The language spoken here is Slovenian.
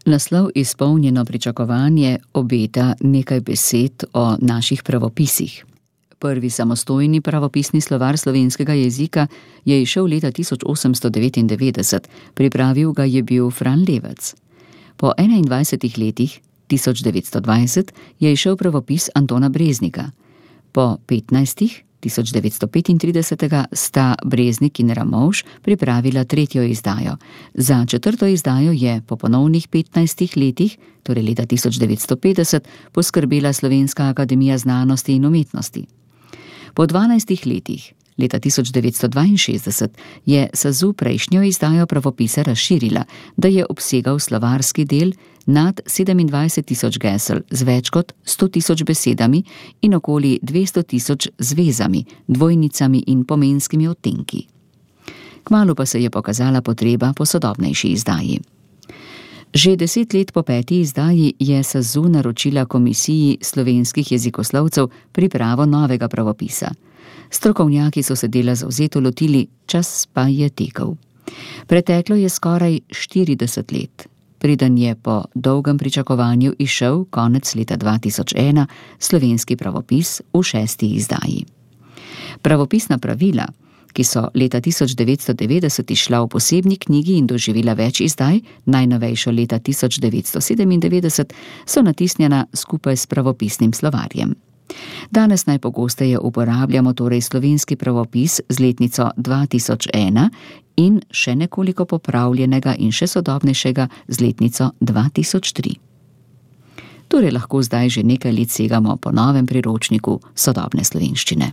Naslov Izpolnjeno pričakovanje obeta nekaj besed o naših pravopisih. Prvi samostojni pravopisni slovar slovenskega jezika je izšel leta 1899, pripravil ga je bil Fran Levec. Po 21 letih, 1920, je izšel pravopis Antona Breznika. Po 15, 1935, sta Breznik in Ramovš pripravila tretjo izdajo. Za četrto izdajo je po ponovnih 15 letih, torej leta 1950, poskrbela Slovenska akademija znanosti in umetnosti. Po 12 letih, leta 1962, je SAZU prejšnjo izdajo pravopisa razširila, da je obsegal slovarski del nad 27.000 gesel z več kot 100.000 besedami in okoli 200.000 zvezami, dvojnicami in pomenskimi odtenki. Kmalu pa se je pokazala potreba po sodobnejši izdaji. Že 10 let po 5. izdaji je SAZU naročila Komisiji slovenskih jezikoslovcev pripravo novega pravopisa. Strokovnjaki so se dela zavzeto lotili, čas pa je tekel. Preteklo je skoraj 40 let, preden je po dolgem pričakovanju izšel konec leta 2001 slovenski pravopis v 6. izdaji. Pravopisna pravila, ki so leta 1990 izšla v posebni knjigi in doživela več izdaj, najnovejšo leta 1997, so natisnjena skupaj s pravopisnim slovarjem. Danes najpogosteje uporabljamo torej slovenski pravopis z letnico 2001 in še nekoliko popravljenega in še sodobnejšega z letnico 2003. Torej lahko zdaj že nekaj let segamo po novem priročniku sodobne slovenščine.